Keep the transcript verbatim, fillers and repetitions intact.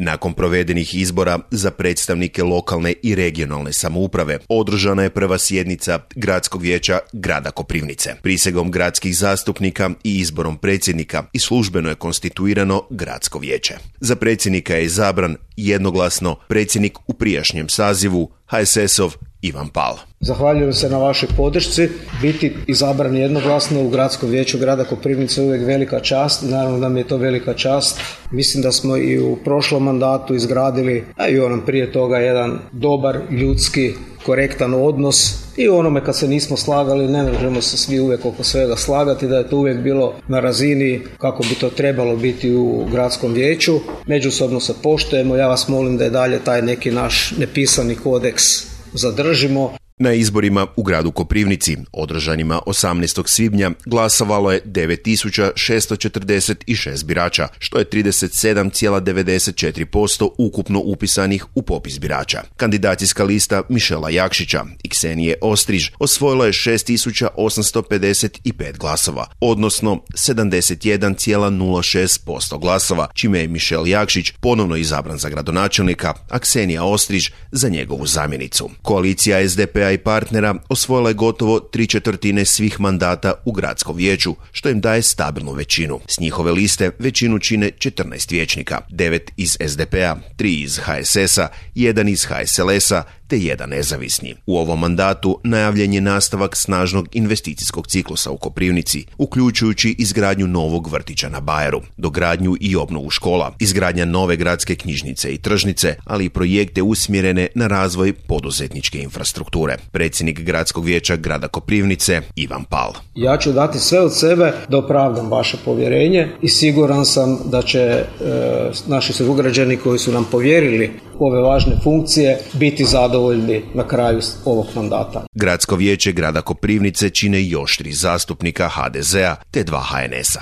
Nakon provedenih izbora za predstavnike lokalne i regionalne samouprave održana je prva sjednica Gradskog vijeća grada Koprivnice. Prisegom gradskih zastupnika i izborom predsjednika i službeno je konstituirano Gradsko vijeće. Za predsjednika je izabran jednoglasno predsjednik u prijašnjem sazivu ha es es-ov Ivan Pal. Zahvaljujem se na vašoj podršci. Biti izabran jednoglasno u Gradskom vijeću grada Koprivnice je uvijek velika čast. Naravno da mi je to velika čast. Mislim da smo i u prošlom mandatu izgradili, a i onom prije toga, jedan dobar, ljudski, korektan odnos. I u onome kad se nismo slagali, ne možemo se svi uvijek oko svega slagati, da je to uvijek bilo na razini kako bi to trebalo biti u Gradskom vijeću. Međusobno se poštujemo. Ja vas molim da je dalje taj neki naš nepisani kodeks zadržimo. Na izborima u gradu Koprivnici, održanima osamnaestog svibnja, glasovalo je devet tisuća šesto četrdeset šest birača, što je trideset sedam zarez devedeset četiri posto ukupno upisanih u popis birača. Kandidacijska lista Mišela Jakšića i Ksenije Ostriž osvojila je šest tisuća osamsto pedeset pet glasova, odnosno sedamdeset jedan zarez nula šest posto glasova, čime je Mišel Jakšić ponovno izabran za gradonačelnika, a Ksenija Ostriž za njegovu zamjenicu. Koalicija es de pe a i partnera osvojila je gotovo tri četvrtine svih mandata u Gradskom vijeću, što im daje stabilnu većinu. S njihove liste većinu čine četrnaest vijećnika, devet iz es de pe a, tri iz ha es es-a, jedan iz ha es el es-a te jedan nezavisni. U ovom mandatu najavljen je nastavak snažnog investicijskog ciklusa u Koprivnici, uključujući izgradnju novog vrtića na Bajeru, dogradnju i obnovu škola, izgradnja nove gradske knjižnice i tržnice, ali i projekte usmjerene na razvoj poduzetničke infrastrukture. Predsjednik Gradskog vijeća grada Koprivnice Ivan Pal. Ja ću dati sve od sebe da opravdam vaše povjerenje i siguran sam da će e, naši sugrađani koji su nam povjerili ove važne funkcije biti zadovoljni na kraju ovog mandata. Gradsko vijeće grada Koprivnice čine još tri zastupnika ha de zea te dva ha en es-a.